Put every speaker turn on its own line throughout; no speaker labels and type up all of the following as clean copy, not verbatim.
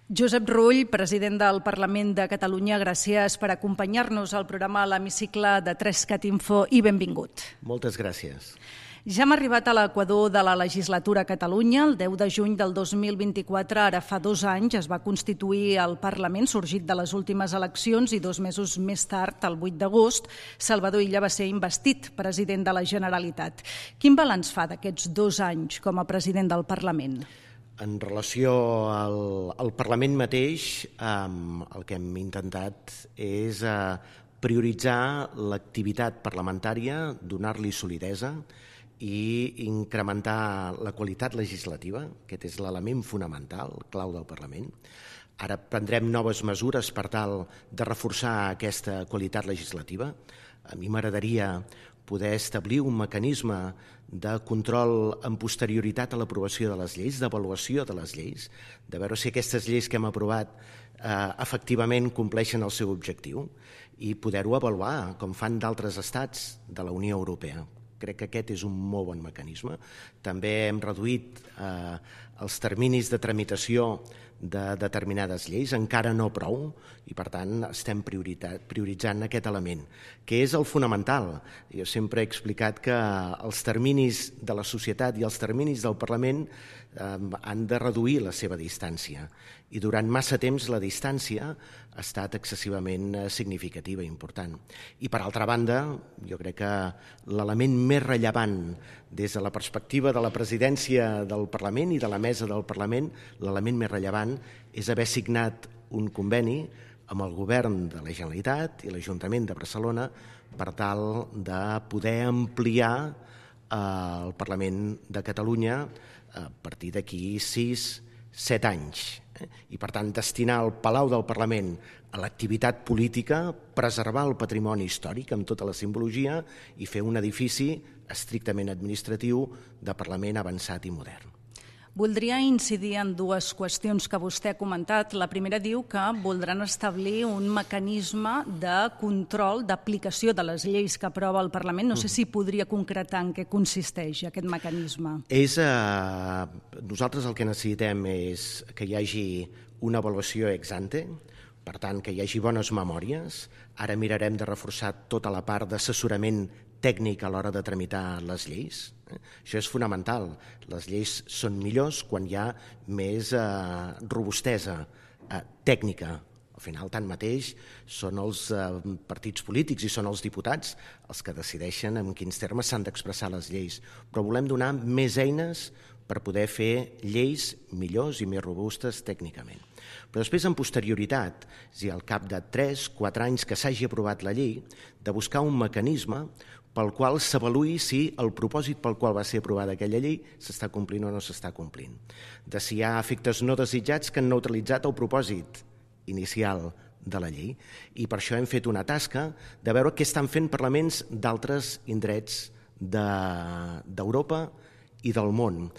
Josep Rull, president del Parlament de Catalunya, gràcies per acompanyar-nos al programa a l'Hemicicle de 3cat Info i benvingut.
Moltes gràcies.
Ja hem arribat a l'equador de la legislatura a Catalunya. El 10 de juny del 2024, ara fa 2 anys, es va constituir el Parlament, sorgit de les últimes eleccions, i 2 mesos més tard, el 8 d'agost, Salvador Illa va ser investit president de la Generalitat. Quin balanç fa d'aquests 2 anys com a president del Parlament?
En relació al Parlament mateix, el que hem intentat és prioritzar l'activitat parlamentària, donar-li solidesa i incrementar la qualitat legislativa. Aquest és l'element fonamental, clau del Parlament. Ara prendrem noves mesures per tal de reforçar aquesta qualitat legislativa. A mi m'agradaria poder establir un mecanisme de control amb posterioritat a l'aprovació de les lleis, d'avaluació de les lleis, de veure si aquestes lleis que hem aprovat efectivament compleixen el seu objectiu i poder-ho avaluar, com fan d'altres estats de la Unió Europea. Crec que aquest és un molt bon mecanisme. També hem reduït els terminis de tramitació de determinades lleis, encara no prou, i per tant estem prioritzant aquest element, que és el fonamental. Jo sempre he explicat que els terminis de la societat i els terminis del Parlament han de reduir la seva distància, i durant massa temps la distància ha estat excessivament significativa i important. I per altra banda, jo crec que l'element més rellevant des de la perspectiva de la presidència del Parlament i de la mesa del Parlament, l'element més rellevant és haver signat un conveni amb el govern de la Generalitat i l'Ajuntament de Barcelona per tal de poder ampliar el Parlament de Catalunya a partir d'aquí 6-7 anys. I per tant destinar el Palau del Parlament a l'activitat política, preservar el patrimoni històric amb tota la simbologia i fer un edifici estrictament administratiu de Parlament avançat i modern.
Voldria incidir en 2 qüestions que vostè ha comentat. La primera diu que voldran establir un mecanisme de control d'aplicació de les lleis que aprova el Parlament. No sé si podria concretar en què consisteix aquest mecanisme.
Nosaltres el que necessitem és que hi hagi una avaluació ex ante, per tant, que hi hagi bones memòries. Ara mirarem de reforçar tota la part d'assessorament tècnic a l'hora de tramitar les lleis. Això és fonamental. Les lleis són millors quan hi ha més robustesa tècnica. Al final, tanmateix, són els partits polítics i són els diputats els que decideixen en quins termes s'han d'expressar les lleis. Però volem donar més eines per poder fer lleis millors i més robustes tècnicament. Però després, en posterioritat, és a dir, al cap de 3-4 anys que s'hagi aprovat la llei, de buscar un mecanisme pel qual s'avaluï si el propòsit pel qual va ser aprovada aquella llei s'està complint o no s'està complint. De si hi ha efectes no desitjats que han neutralitzat el propòsit inicial de la llei. I per això hem fet una tasca de veure què estan fent parlaments d'altres indrets d'Europa i del món.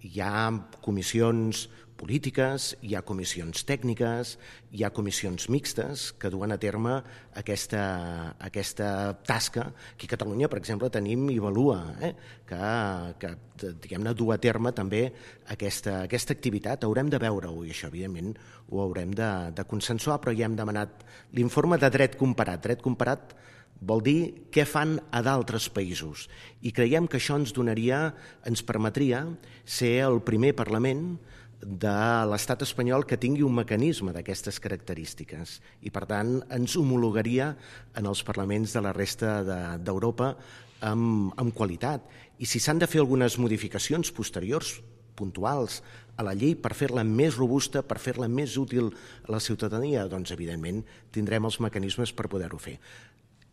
Hi ha comissions polítiques, hi ha comissions tècniques, hi ha comissions mixtes que duen a terme aquesta tasca. Aquí a Catalunya, per exemple, tenim Ivalua, que diguem-ne, du a terme també aquesta activitat. Haurem de veure-ho i això, evidentment, ho haurem de consensuar, però ja hem demanat l'informe de dret comparat. Dret comparat vol dir què fan a d'altres països. I creiem que això ens permetria ser el primer Parlament de l'estat espanyol que tingui un mecanisme d'aquestes característiques i, per tant, ens homologaria en els parlaments de la resta d'Europa amb qualitat. I si s'han de fer algunes modificacions posteriors, puntuals, a la llei per fer-la més robusta, per fer-la més útil a la ciutadania, doncs, evidentment, tindrem els mecanismes per poder-ho fer.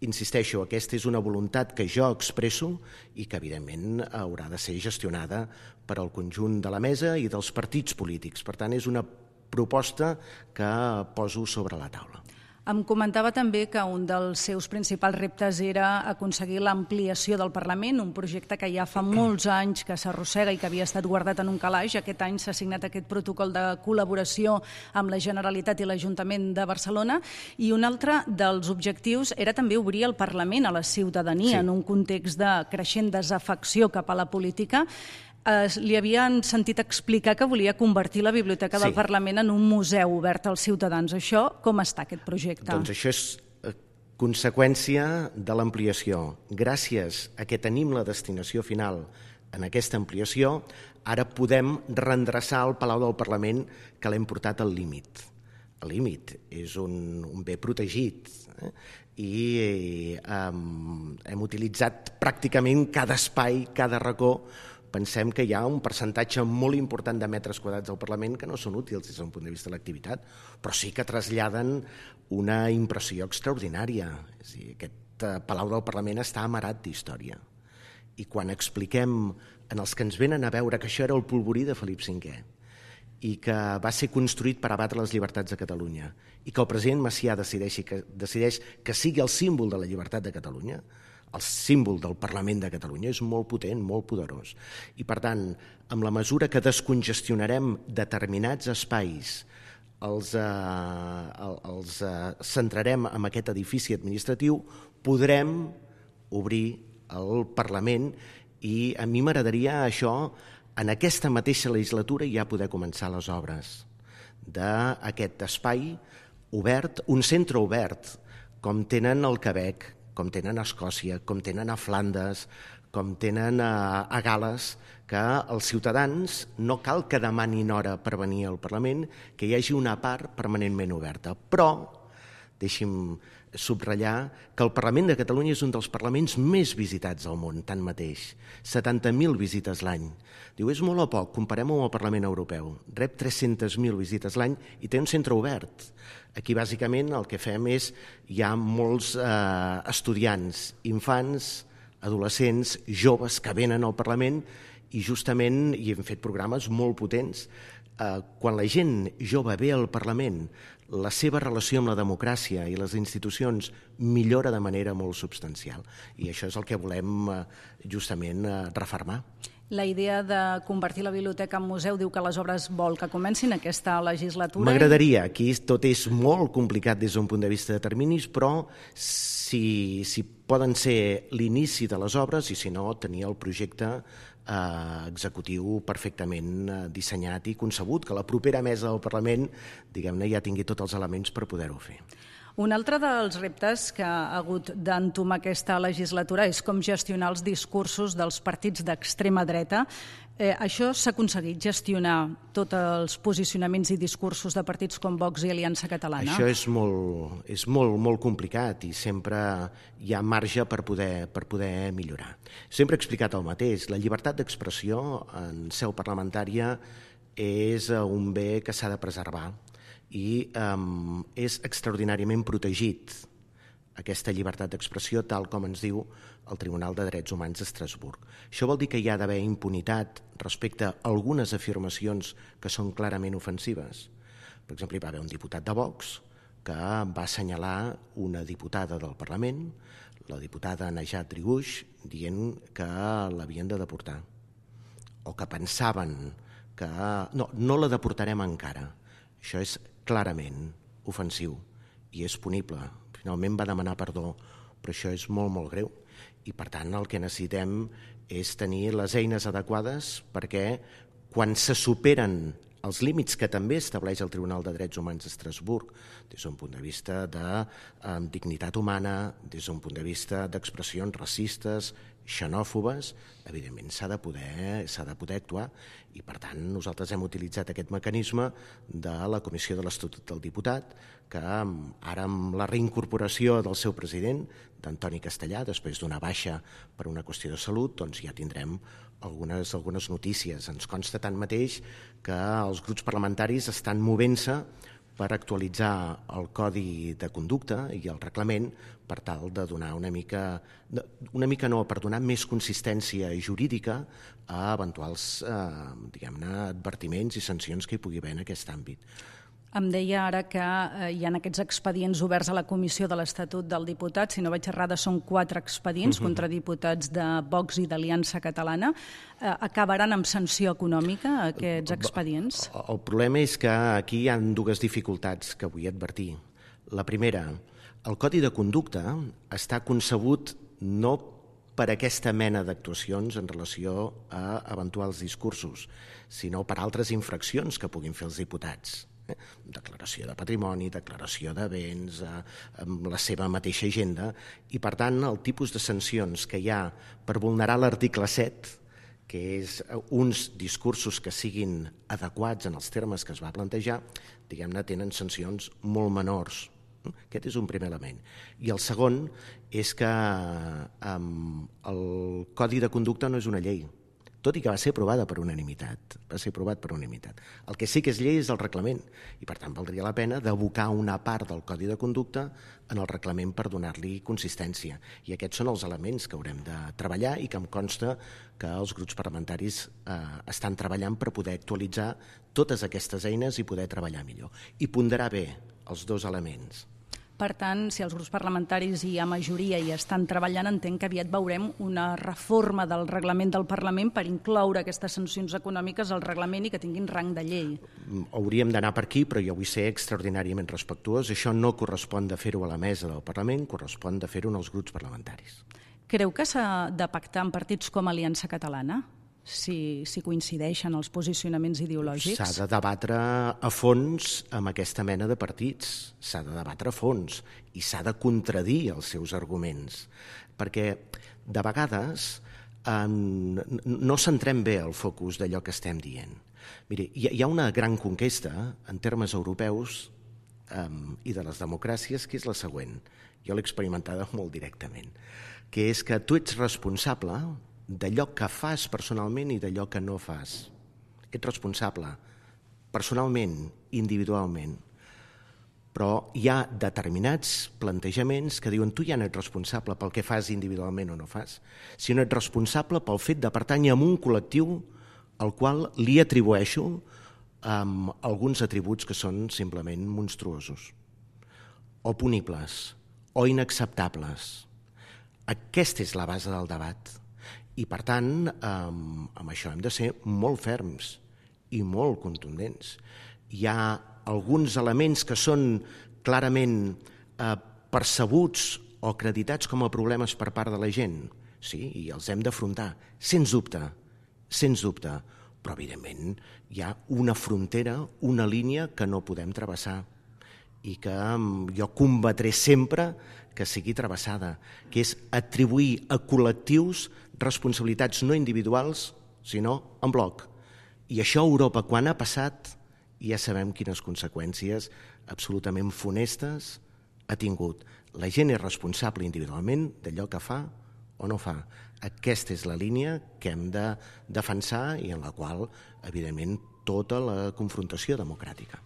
Insisteixo, aquesta és una voluntat que jo expresso i que, evidentment, haurà de ser gestionada per al conjunt de la mesa i dels partits polítics. Per tant, és una proposta que poso sobre la taula.
Em comentava també que un dels seus principals reptes era aconseguir l'ampliació del Parlament, un projecte que ja fa molts anys que s'arrossega i que havia estat guardat en un calaix. Aquest any s'ha signat aquest protocol de col·laboració amb la Generalitat i l'Ajuntament de Barcelona, i un altre dels objectius era també obrir el Parlament a la ciutadania en un context de creixent desafecció cap a la política. Li havien sentit explicar que volia convertir la Biblioteca del Parlament en un museu obert als ciutadans. Això, com està aquest projecte?
Doncs això és conseqüència de l'ampliació. Gràcies a que tenim la destinació final en aquesta ampliació, ara podem reendreçar el Palau del Parlament que l'hem portat al límit. El límit és un bé protegit i hem utilitzat pràcticament cada espai, cada racó. Pensem que hi ha un percentatge molt important de metres quadrats del Parlament que no són útils des d'un punt de vista de l'activitat, però sí que traslladen una impressió extraordinària. És a dir, aquest Palau del Parlament està amarat d'història. I quan expliquem en els que ens venen a veure que això era el polvorí de Felip V i que va ser construït per abatre les llibertats de Catalunya i que el president Macià decideix que sigui el símbol de la llibertat de Catalunya, el símbol del Parlament de Catalunya, és molt potent, molt poderós. I, per tant, amb la mesura que descongestionarem determinats espais, els centrarem en aquest edifici administratiu, podrem obrir el Parlament i a mi m'agradaria això, en aquesta mateixa legislatura, ja poder començar les obres d'aquest espai obert, un centre obert, com tenen al Quebec, com tenen a Escòcia, com tenen a Flandes, com tenen a Gal·les, que els ciutadans no cal que demanin hora per venir al Parlament, que hi hagi una part permanentment oberta. Però, deixi'm subratllar que el Parlament de Catalunya és un dels parlaments més visitats al món, tanmateix. 70.000 visites l'any. Diu, és molt o poc, comparem-ho amb el Parlament Europeu. Rep 300.000 visites l'any i té un centre obert. Aquí, bàsicament, el que fem és, hi ha molts estudiants, infants, adolescents, joves que venen al Parlament i justament hi hem fet programes molt potents. Quan la gent jove ve al Parlament, la seva relació amb la democràcia i les institucions millora de manera molt substancial. I això és el que volem justament refermar.
La idea de convertir la biblioteca en museu diu que les obres vol que comencin aquesta legislatura.
M'agradaria. Aquí tot és molt complicat des d'un punt de vista de terminis, però si poden ser l'inici de les obres i si no, tenir el projecte executiu perfectament dissenyat i concebut, que la propera mesa del Parlament, diguem-ne, ja tingui tots els elements per poder-ho fer.
Un altre dels reptes que ha hagut d'entomar aquesta legislatura és com gestionar els discursos dels partits d'extrema dreta. Això s'ha aconseguit, gestionar tots els posicionaments i discursos de partits com Vox i Aliança Catalana?
Això és molt complicat i sempre hi ha marge per poder millorar. Sempre he explicat el mateix. La llibertat d'expressió en seu parlamentària és un bé que s'ha de preservar i és extraordinàriament protegit aquesta llibertat d'expressió tal com ens diu el Tribunal de Drets Humans d'Estrasburg. Això vol dir que hi ha d'haver impunitat respecte a algunes afirmacions que són clarament ofensives. Per exemple, hi va haver un diputat de Vox que va assenyalar una diputada del Parlament, la diputada Najat Triguix, dient que l'havien de deportar o que pensaven que no la deportarem encara. Això és clarament ofensiu i és punible. Finalment va demanar perdó, però això és molt, molt greu. I, per tant, el que necessitem és tenir les eines adequades perquè quan se superen els límits que també estableix el Tribunal de Drets Humans d'Estrasburg, des d'un punt de vista de dignitat humana, des d'un punt de vista d'expressions racistes, xenòfobes, evidentment s'ha de poder actuar i, per tant, nosaltres hem utilitzat aquest mecanisme de la Comissió de l'Estatut del Diputat que ara amb la reincorporació del seu president, d'Antoni Castellà, després d'una baixa per una qüestió de salut, doncs ja tindrem algunes notícies. Ens consta tanmateix que els grups parlamentaris estan movent-se per actualitzar el Codi de Conducta i el reglament per tal de donar per donar més consistència jurídica a eventuals advertiments i sancions que hi pugui haver en aquest àmbit.
Em deia ara que hi ha aquests expedients oberts a la Comissió de l'Estatut del Diputat. Si no vaig errada, són 4 expedients contra diputats de Vox i d'Aliança Catalana. Acabaran amb sanció econòmica aquests expedients?
El problema és que aquí hi ha 2 dificultats que vull advertir. La primera, el Codi de Conducta està concebut no per aquesta mena d'actuacions en relació a eventuals discursos, sinó per altres infraccions que puguin fer els diputats. Declaració de patrimoni, declaració de béns, amb la seva mateixa agenda, i per tant el tipus de sancions que hi ha per vulnerar l'article 7, que és uns discursos que siguin adequats en els termes que es va plantejar, diguem-ne, tenen sancions molt menors. Aquest és un primer element. I el segon és que el Codi de Conducta no és una llei, tot i que va ser aprovada per unanimitat. Va ser aprovat per unanimitat. El que sí que és llei és el reglament, i per tant valdria la pena d'abocar una part del Codi de Conducta en el reglament per donar-li consistència. I aquests són els elements que haurem de treballar i que em consta que els grups parlamentaris estan treballant per poder actualitzar totes aquestes eines i poder treballar millor. I ponderar bé els dos elements.
Per tant, si els grups parlamentaris hi ha majoria i estan treballant, entenc que aviat veurem una reforma del reglament del Parlament per incloure aquestes sancions econòmiques al reglament i que tinguin rang de llei.
Hauríem d'anar per aquí, però jo vull ser extraordinàriament respectuós. Això no correspon de fer-ho a la mesa del Parlament, correspon de fer-ho en els grups parlamentaris.
Creu que s'ha de pactar amb partits com Aliança Catalana? Si coincideixen els posicionaments ideològics?
S'ha de debatre a fons amb aquesta mena de partits, s'ha de debatre a fons i s'ha de contradir els seus arguments, perquè de vegades no centrem bé el focus d'allò que estem dient. Miri, hi ha una gran conquesta en termes europeus i de les democràcies que és la següent, jo l'he experimentada molt directament, que és que tu ets responsable d'allò que fas personalment i d'allò que no fas. Ets responsable personalment, individualment, però hi ha determinats plantejaments que diuen tu ja no ets responsable pel que fas individualment o no fas, sinó ets responsable pel fet de pertànyer a un col·lectiu al qual li atribueixo alguns atributs que són simplement monstruosos, o punibles, o inacceptables. Aquesta és la base del debat. I, per tant, amb això hem de ser molt ferms i molt contundents. Hi ha alguns elements que són clarament percebuts o acreditats com a problemes per part de la gent, sí, i els hem d'afrontar, sens dubte, però, evidentment, hi ha una frontera, una línia que no podem travessar i que jo combatré sempre que sigui travessada, que és atribuir a col·lectius responsabilitats no individuals, sinó en bloc. I això a Europa, quan ha passat, ja sabem quines conseqüències absolutament funestes ha tingut. La gent és responsable individualment d'allò que fa o no fa. Aquesta és la línia que hem de defensar i en la qual, evidentment, tota la confrontació democràtica.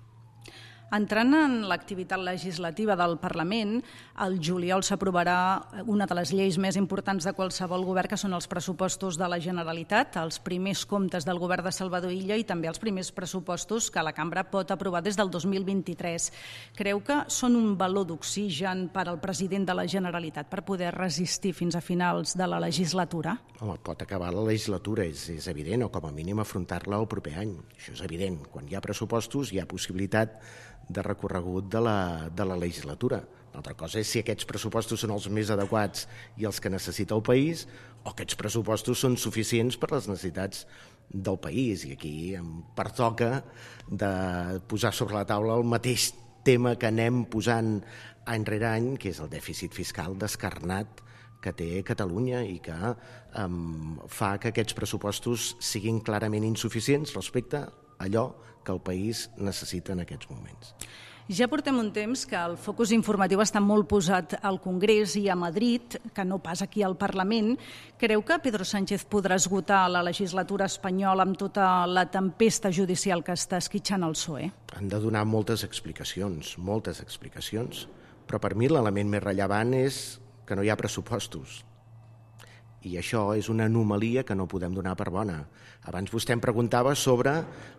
Entrant en l'activitat legislativa del Parlament, el juliol s'aprovarà una de les lleis més importants de qualsevol govern, que són els pressupostos de la Generalitat, els primers comptes del govern de Salvador Illa i també els primers pressupostos que la cambra pot aprovar des del 2023. Creu que són un baló d'oxigen per al president de la Generalitat per poder resistir fins a finals de la legislatura?
Home, pot acabar la legislatura, és evident, o com a mínim afrontar-la el proper any. Això és evident. Quan hi ha pressupostos hi ha possibilitat de recorregut de la legislatura. Una altra cosa és si aquests pressupostos són els més adequats i els que necessita el país o aquests pressupostos són suficients per les necessitats del país. I aquí em pertoca de posar sobre la taula el mateix tema que anem posant any rere any, que és el dèficit fiscal descarnat que té Catalunya i que fa que aquests pressupostos siguin clarament insuficients respecte a allò que el país necessita en aquests moments.
Ja portem un temps que el focus informatiu està molt posat al Congrés i a Madrid, que no pas aquí al Parlament. Creu que Pedro Sánchez podrà esgotar la legislatura espanyola amb tota la tempesta judicial que està esquitxant el PSOE?
Han de donar moltes explicacions, però per mi l'element més rellevant és que no hi ha pressupostos. I això és una anomalia que no podem donar per bona. Abans vostè em preguntava sobre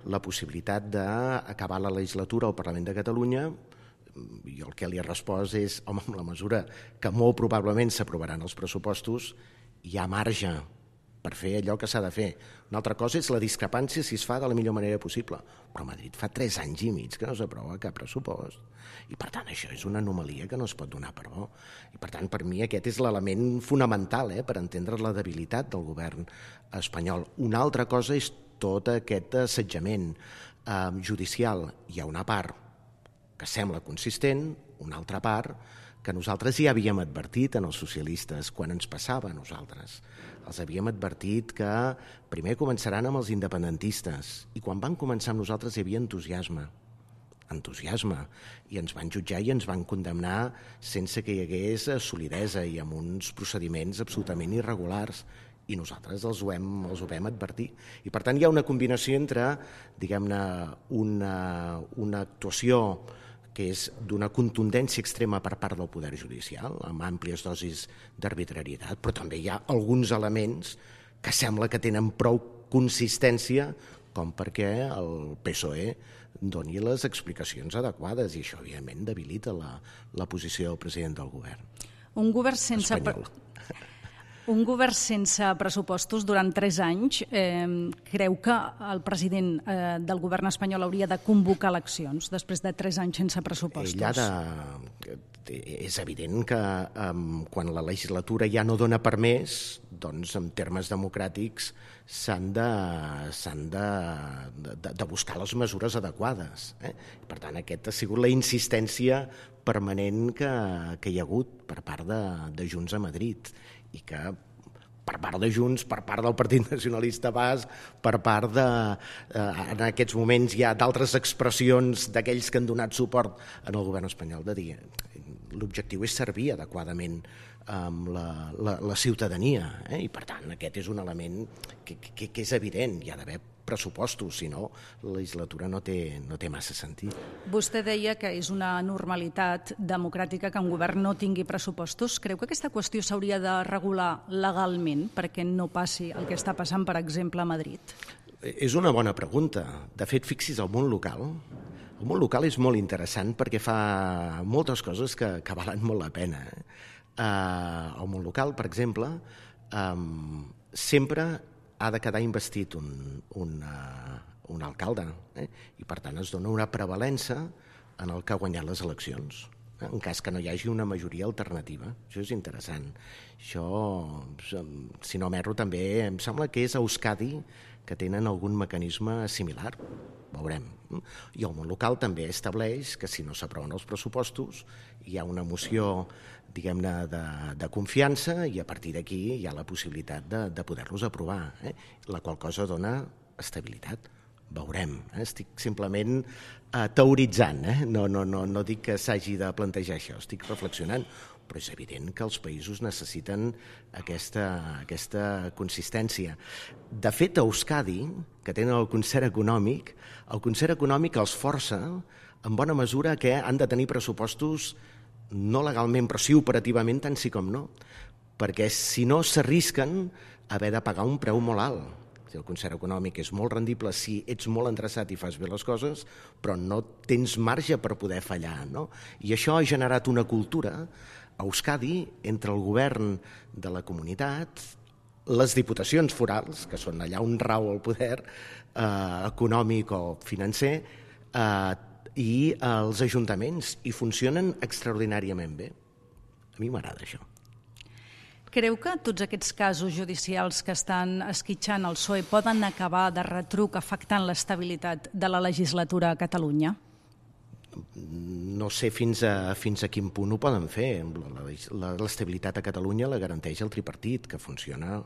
la possibilitat d'acabar la legislatura al Parlament de Catalunya. Jo el que li he respost és, home, en la mesura que molt probablement s'aprovaran els pressupostos, hi ha marge per fer allò que s'ha de fer. Una altra cosa és la discrepància si es fa de la millor manera possible. Però Madrid fa 3 anys i mig que no s'aprova cap pressupost. I per tant això és una anomalia que no es pot donar per bo. I per tant per mi aquest és l'element fonamental per entendre la debilitat del govern espanyol. Una altra cosa és tot aquest assetjament judicial. Hi ha una part que sembla consistent, una altra part que nosaltres ja havíem advertit en els socialistes quan ens passava a nosaltres. Els havíem advertit que primer començaran amb els independentistes i quan van començar amb nosaltres hi havia entusiasme, i ens van jutjar i ens van condemnar sense que hi hagués solidesa i amb uns procediments absolutament irregulars i nosaltres els ho vam advertir. I per tant hi ha una combinació entre, diguem-ne, una actuació que és d'una contundència extrema per part del poder judicial, amb àmplies dosis d'arbitrarietat, però també hi ha alguns elements que sembla que tenen prou consistència com perquè el PSOE doni les explicacions adequades, i això, evidentment, debilita la posició del president del govern.
Un govern sense
espanyol.
Un govern sense pressupostos durant 3 anys, creu que el president del govern espanyol hauria de convocar eleccions després de 3 anys sense pressupostos?
És evident que quan la legislatura ja no dona per més, doncs en termes democràtics s'han de buscar les mesures adequades. Per tant, aquesta ha sigut la insistència permanent que hi ha hagut per part de Junts a Madrid, i que per part de Junts, per part del Partit Nacionalista Basc, per part de... en aquests moments hi ha d'altres expressions d'aquells que han donat suport en el govern espanyol de dir l'objectiu és servir adequadament la ciutadania, i per tant aquest és un element que és evident, hi ha d'haver pressupostos, si no la legislatura no té massa sentit.
Vostè deia que és una normalitat democràtica que un govern no tingui pressupostos. Creu que aquesta qüestió s'hauria de regular legalment perquè no passi el que està passant, per exemple, a Madrid?
És una bona pregunta. De fet, fixi's, el món local és molt interessant perquè fa moltes coses que valen molt la pena. El món local, per exemple, sempre ha de quedar investit un alcalde, i per tant es dona una prevalença en el que ha guanyat les eleccions, en cas que no hi hagi una majoria alternativa. Això és interessant. Això, si no m'erro, també em sembla que és a Euskadi que tenen algun mecanisme similar. Veurem. I el món local també estableix que si no s'aproven els pressupostos hi ha una moció, diguem-ne, de confiança, i a partir d'aquí hi ha la possibilitat de poder-los aprovar, la qual cosa dona estabilitat. Veurem. Estic simplement teoritzant, no dic que s'hagi de plantejar això, estic reflexionant, però és evident que els països necessiten aquesta consistència. De fet, a Euskadi, que tenen el concert econòmic els força en bona mesura que han de tenir pressupostos no legalment, però sí operativament, tant sí com no, perquè si no s'arrisquen a haver de pagar un preu molt alt. El concert econòmic és molt rendible si ets molt endreçat i fas bé les coses, però no tens marge per poder fallar, no? I això ha generat una cultura a Euskadi entre el govern de la comunitat, les diputacions forals, que són allà on rau el poder econòmic o financer, i els ajuntaments, i funcionen extraordinàriament bé. A mi m'agrada això.
Creu que tots aquests casos judicials que estan esquitxant el PSOE poden acabar de retruc afectant l'estabilitat de la legislatura a Catalunya?
No sé fins a quin punt ho poden fer. L'estabilitat a Catalunya la garanteix el tripartit, que funciona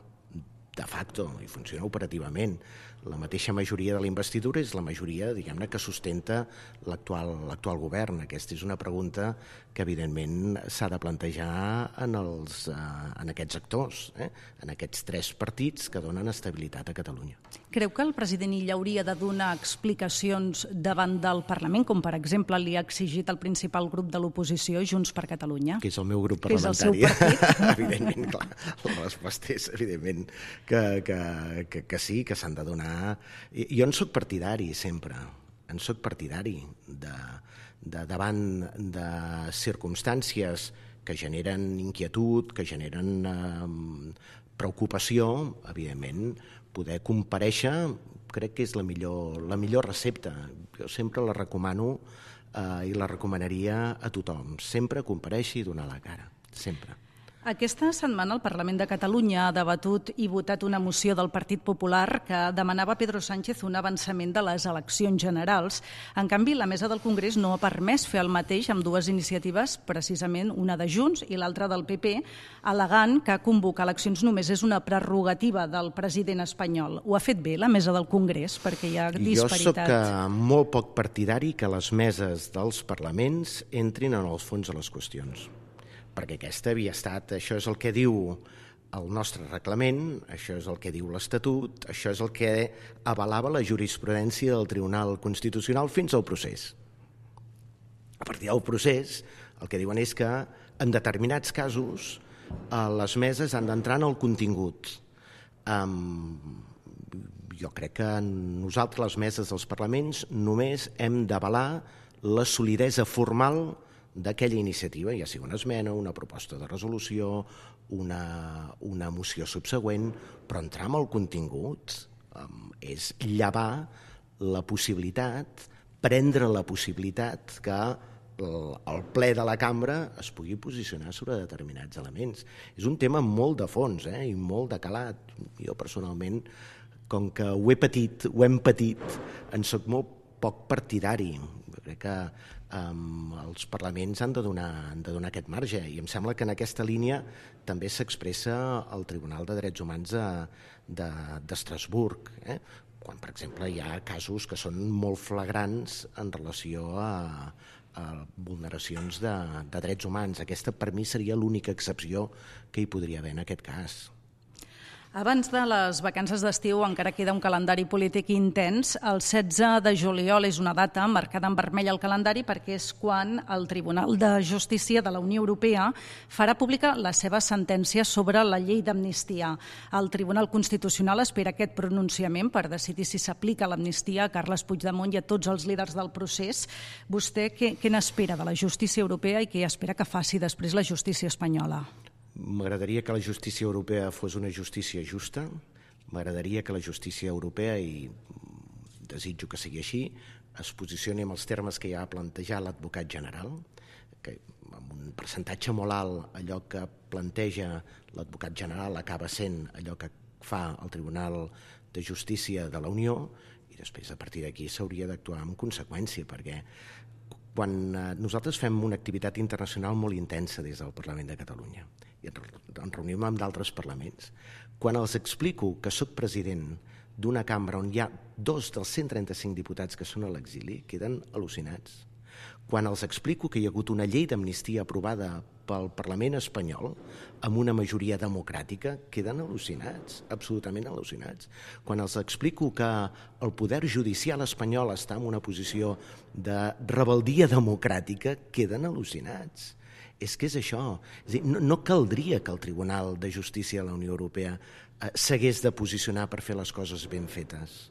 de facto i funciona operativament. La mateixa majoria de la investidura és la majoria, diguem-ne, que sustenta l'actual govern. Aquesta és una pregunta que, evidentment, s'ha de plantejar en aquests actors, en aquests 3 partits que donen estabilitat a Catalunya.
Creu que el president Illa hauria de donar explicacions davant del Parlament, com per exemple li ha exigit el principal grup de l'oposició, Junts per Catalunya?
Que és el meu grup parlamentari.
Que és el seu partit.
Evidentment, clar. La resposta és, evidentment, que sí, que s'han de donar. Jo en soc partidari, sempre. En soc partidari davant de circumstàncies que generen inquietud, que generen preocupació, evidentment, poder comparèixer crec que és la millor recepta. Jo sempre la recomano i la recomanaria a tothom. Sempre compareixi i donar la cara, sempre.
Aquesta setmana el Parlament de Catalunya ha debatut i votat una moció del Partit Popular que demanava a Pedro Sánchez un avançament de les eleccions generals. En canvi, la mesa del Congrés no ha permès fer el mateix amb dues iniciatives, precisament una de Junts i l'altra del PP, al·legant que convocar eleccions només és una prerrogativa del president espanyol. Ho ha fet bé la mesa del Congrés, perquè hi ha disparitat?
Jo soc molt poc partidari que les meses dels parlaments entrin en el fons de les qüestions, perquè aquesta havia estat, això és el que diu el nostre reglament, això és el que diu l'Estatut, això és el que avalava la jurisprudència del Tribunal Constitucional fins al procés. A partir del procés, el que diuen és que en determinats casos les meses han d'entrar en el contingut. Jo crec que nosaltres, les meses dels parlaments, només hem d'avalar la solidesa formal d'aquella iniciativa, ja sigui una esmena, una proposta de resolució, una moció subsegüent, però entrar en el contingut és llevar la possibilitat, prendre la possibilitat que el ple de la cambra es pugui posicionar sobre determinats elements. És un tema molt de fons i molt de calat. Jo personalment, com que ho hem patit, en soc molt poc partidari. Crec que els parlaments han de donar aquest marge i em sembla que en aquesta línia també s'expressa el Tribunal de Drets Humans d'Estrasburg, quan, per exemple, hi ha casos que són molt flagrants en relació a vulneracions de drets humans. Aquesta, per mi, seria l'única excepció que hi podria haver en aquest cas.
Abans de les vacances d'estiu encara queda un calendari polític intens. El 16 de juliol és una data marcada en vermell al calendari perquè és quan el Tribunal de Justícia de la Unió Europea farà pública la seva sentència sobre la llei d'amnistia. El Tribunal Constitucional espera aquest pronunciament per decidir si s'aplica l'amnistia a Carles Puigdemont i a tots els líders del procés. Vostè què n'espera de la justícia europea i què espera que faci després la justícia espanyola?
M'agradaria que la justícia europea fos una justícia justa, m'agradaria que la justícia europea, i desitjo que sigui així, es posicioni en els termes que ja ha plantejat l'advocat general, que amb un percentatge molt alt allò que planteja l'advocat general acaba sent allò que fa el Tribunal de Justícia de la Unió, i després a partir d'aquí s'hauria d'actuar en conseqüència, perquè quan nosaltres fem una activitat internacional molt intensa des del Parlament de Catalunya i ens reunim amb d'altres parlaments, quan els explico que soc president d'una cambra on hi ha 2 dels 135 diputats que són a l'exili, queden al·lucinats. Quan els explico que hi ha hagut una llei d'amnistia aprovada pel Parlament espanyol amb una majoria democràtica, queden al·lucinats, absolutament al·lucinats. Quan els explico que el poder judicial espanyol està en una posició de rebeldia democràtica, queden al·lucinats. És que és això. És a dir, no caldria que el Tribunal de Justícia de la Unió Europea s'hagués de posicionar per fer les coses ben fetes.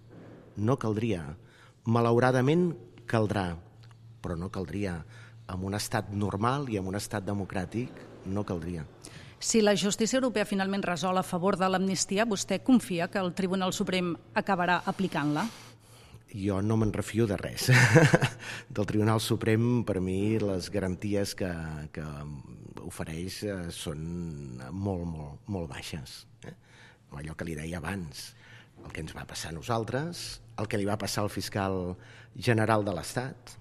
No caldria. Malauradament caldrà, però no caldria. En un estat normal i en un estat democràtic no caldria.
Si la justícia europea finalment resol a favor de l'amnistia, vostè confia que el Tribunal Suprem acabarà aplicant-la?
Jo no me'n refio de res. Del Tribunal Suprem, per mi, les garanties que ofereix són molt baixes. Allò que li deia abans, el que ens va passar a nosaltres, el que li va passar al fiscal general de l'Estat.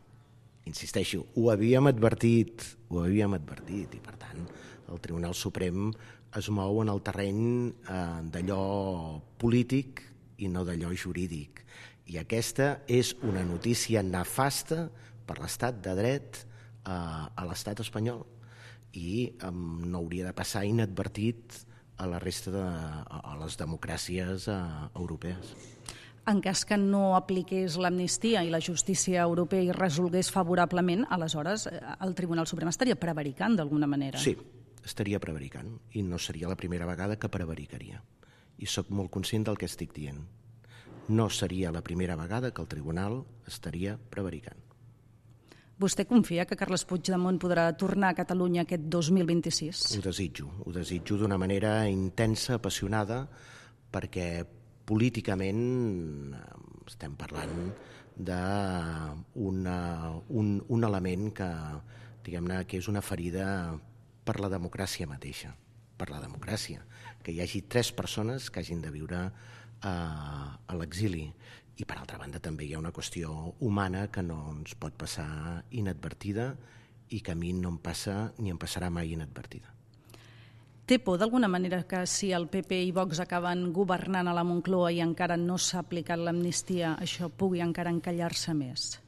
Insisteixo, ho havíem advertit, i per tant el Tribunal Suprem es mou en el terreny d'allò polític i no d'allò jurídic. I aquesta és una notícia nefasta per l'estat de dret a l'estat espanyol i no hauria de passar inadvertit a la resta de les democràcies europees.
En cas que no apliqués l'amnistia i la justícia europea hi resolgués favorablement, aleshores el Tribunal Suprem estaria prevaricant d'alguna manera.
Sí, estaria prevaricant i no seria la primera vegada que prevaricaria. I sóc molt conscient del que estic dient. No seria la primera vegada que el Tribunal estaria prevaricant.
Vostè confia que Carles Puigdemont podrà tornar a Catalunya aquest 2026?
Ho desitjo d'una manera intensa, apassionada, perquè políticament estem parlant d'un element que, diguem-ne, que és una ferida per la democràcia mateixa, per la democràcia, que hi hagi 3 persones que hagin de viure a l'exili. I, per altra banda, també hi ha una qüestió humana que no ens pot passar inadvertida i que a mi no em passa ni em passarà mai inadvertida.
Té por, d'alguna manera, que si el PP i Vox acaben governant a la Moncloa i encara no s'ha aplicat l'amnistia, això pugui encara encallar-se més?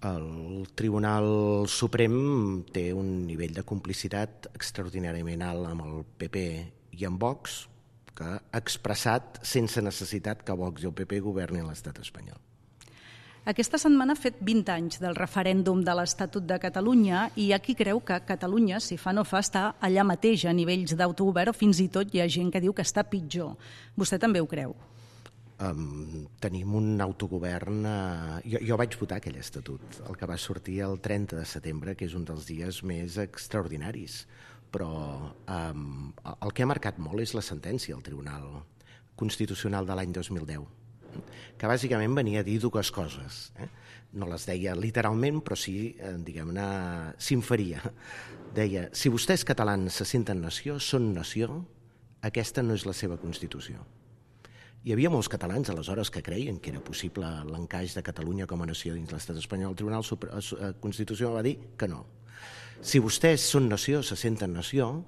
El Tribunal Suprem té un nivell de complicitat extraordinàriament alt amb el PP i amb Vox, que ha expressat sense necessitat que Vox i el PP governin l'estat espanyol.
Aquesta setmana ha fet 20 anys del referèndum de l'Estatut de Catalunya i hi ha qui creu que Catalunya, si fa no fa, està allà mateix a nivells d'autogovern, o fins i tot hi ha gent que diu que està pitjor. Vostè també ho creu?
Tenim un autogovern... Jo vaig votar aquell estatut, el que va sortir el 30 de setembre, que és un dels dies més extraordinaris. Però el que ha marcat molt és la sentència del Tribunal Constitucional de l'any 2010, que bàsicament venia a dir 2 coses. No les deia literalment, però sí, diguem-ne, s'inferia. Deia, si vostès catalans se senten nació, són nació, aquesta no és la seva Constitució. Hi havia molts catalans aleshores que creien que era possible l'encaix de Catalunya com a nació dins l'estat espanyol. El Tribunal Constitucional va dir que no. Si vostès són nació, se senten nació,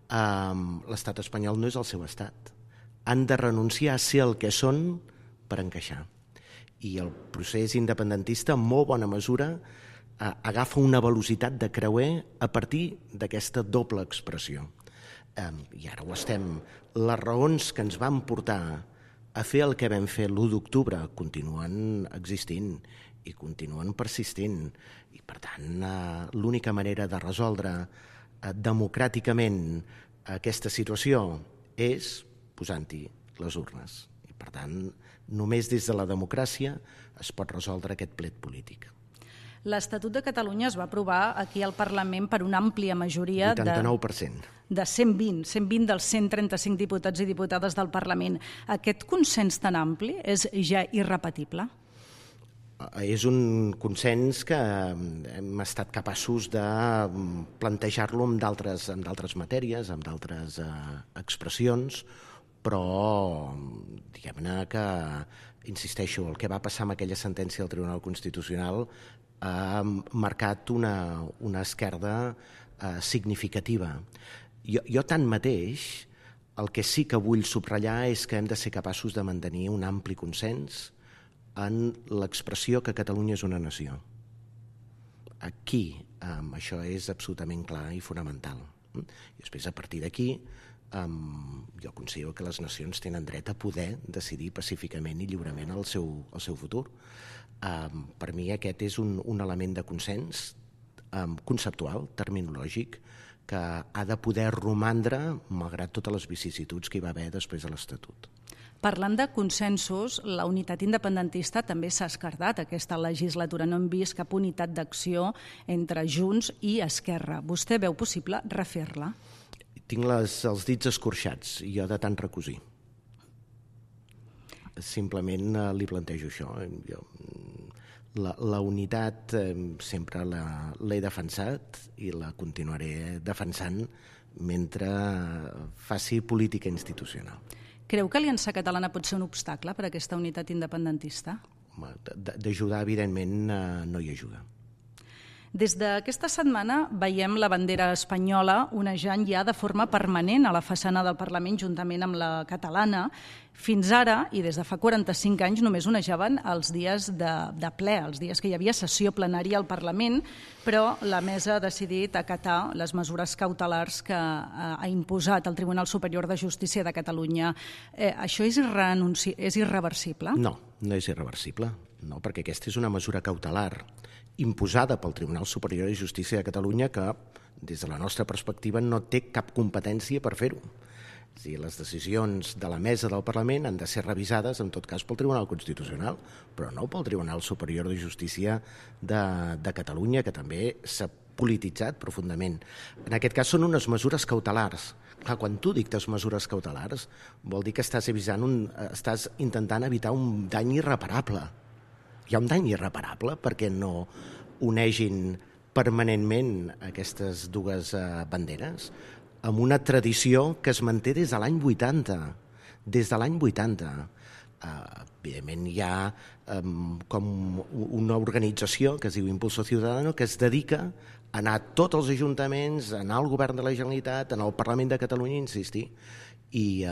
l'estat espanyol no és el seu estat. Han de renunciar a ser el que són per encaixar. I el procés independentista, en molt bona mesura, agafa una velocitat de creuer a partir d'aquesta doble expressió. I ara ho estem. Les raons que ens van portar a fer el que vam fer l'1 d'octubre continuen existint i continuen persistint. I, per tant, l'única manera de resoldre democràticament aquesta situació és posant-hi les urnes. I, per tant, només des de la democràcia es pot resoldre aquest plet polític.
L'Estatut de Catalunya es va aprovar aquí al Parlament per una àmplia majoria
89%.
De 120 dels 135 diputats i diputades del Parlament. Aquest consens tan ampli és ja irrepetible?
És un consens que hem estat capaços de plantejar-lo amb d'altres matèries, amb d'altres expressions, però diguem-ne que, insisteixo, el que va passar amb aquella sentència del Tribunal Constitucional ha marcat una esquerda significativa. Jo tanmateix, el que sí que vull subratllar és que hem de ser capaços de mantenir un ampli consens en l'expressió que Catalunya és una nació. Aquí això és absolutament clar i fonamental. I després, a partir d'aquí, jo considero que les nacions tenen dret a poder decidir pacíficament i lliurement el seu futur. Per mi aquest és un element de consens conceptual, terminològic, que ha de poder romandre malgrat totes les vicissituds que hi va haver després de l'Estatut.
Parlant de consensos, la unitat independentista també s'ha esquerdat aquesta legislatura. No hem vist cap unitat d'acció entre Junts i Esquerra. Vostè veu possible refer-la?
Tinc els dits escorxats, i jo de tant recosir. Simplement li plantejo això. La unitat sempre l'he defensat i la continuaré defensant mentre faci política institucional.
Creu que Aliança Catalana pot ser un obstacle per a aquesta unitat independentista?
D'ajudar, evidentment, no hi ajuda.
Des d'aquesta setmana veiem la bandera espanyola onejant ja de forma permanent a la façana del Parlament juntament amb la catalana. Fins ara, i des de fa 45 anys, només onejaven els dies de ple, els dies que hi havia sessió plenària al Parlament, però la mesa ha decidit acatar les mesures cautelars que ha imposat el Tribunal Superior de Justícia de Catalunya. Això és irreversible?
No, no és irreversible, no, perquè aquesta és una mesura cautelar imposada pel Tribunal Superior de Justícia de Catalunya que, des de la nostra perspectiva, no té cap competència per fer-ho. Les decisions de la mesa del Parlament han de ser revisades, en tot cas, pel Tribunal Constitucional, però no pel Tribunal Superior de Justícia de Catalunya, que també s'ha polititzat profundament. En aquest cas són unes mesures cautelars. Clar, quan tu dictes mesures cautelars, vol dir que estàs intentant evitar un dany irreparable. Hi ha un dany irreparable perquè no unegin permanentment aquestes dues banderes amb una tradició que es manté des de l'any 80. Des de l'any 80. Evidentment hi ha com una organització que es diu Impulso Ciudadano que es dedica a anar a tots els ajuntaments, a anar al govern de la Generalitat, a anar al Parlament de Catalunya, insistir. I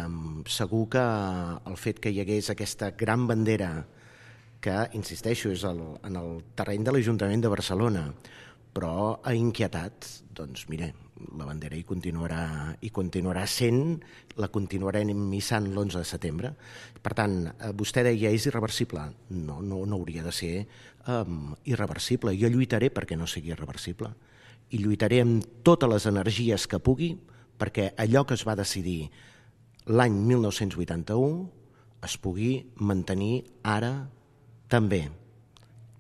segur que el fet que hi hagués aquesta gran bandera que, insisteixo, és en el terreny de l'Ajuntament de Barcelona, però ha inquietat, doncs mire, la bandera hi continuarà sent, la continuarem missant l'11 de setembre. Per tant, vostè deia, és irreversible. No hauria de ser irreversible. Jo lluitaré perquè no sigui irreversible. I lluitaré amb totes les energies que pugui perquè allò que es va decidir l'any 1981 es pugui mantenir ara també.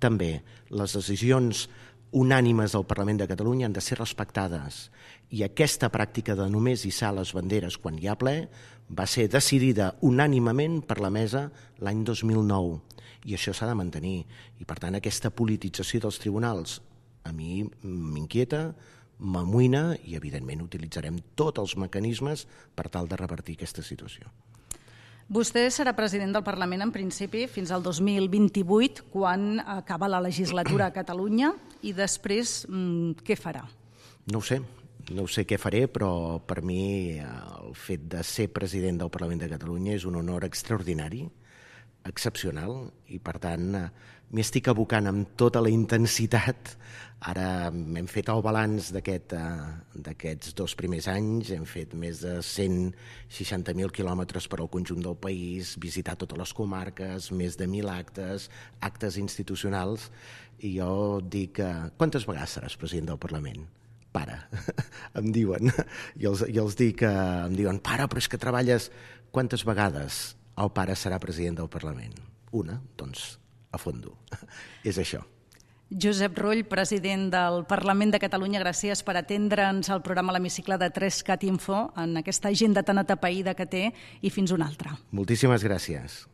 També les decisions unànimes del Parlament de Catalunya han de ser respectades i aquesta pràctica de només hissar les banderes quan hi ha ple va ser decidida unànimement per la mesa l'any 2009 i això s'ha de mantenir i per tant aquesta politització dels tribunals a mi m'inquieta, m'amoïna i evidentment utilitzarem tots els mecanismes per tal de revertir aquesta situació.
Vostè serà president del Parlament en principi fins al 2028, quan acaba la legislatura a Catalunya, i després què farà?
No ho sé què faré, però per mi el fet de ser president del Parlament de Catalunya és un honor extraordinari, excepcional, i per tant m'hi estic abocant amb tota la intensitat. Ara hem fet el balanç d'aquests 2 primers anys, hem fet més de 160.000 quilòmetres per al conjunt del país, visitar totes les comarques, més de 1.000 actes institucionals, i jo dic, quantes vegades seràs president del Parlament? Pare, em diuen, i els dic, em diuen, pare, però és que treballes, quantes vegades el pare serà president del Parlament? Una, doncs a fondo, és això.
Josep Rull, president del Parlament de Catalunya, gràcies per atendre'ns al programa L'Hemicicle de 3CAT Info en aquesta agenda tan atapeïda que té, i fins una altra.
Moltíssimes gràcies.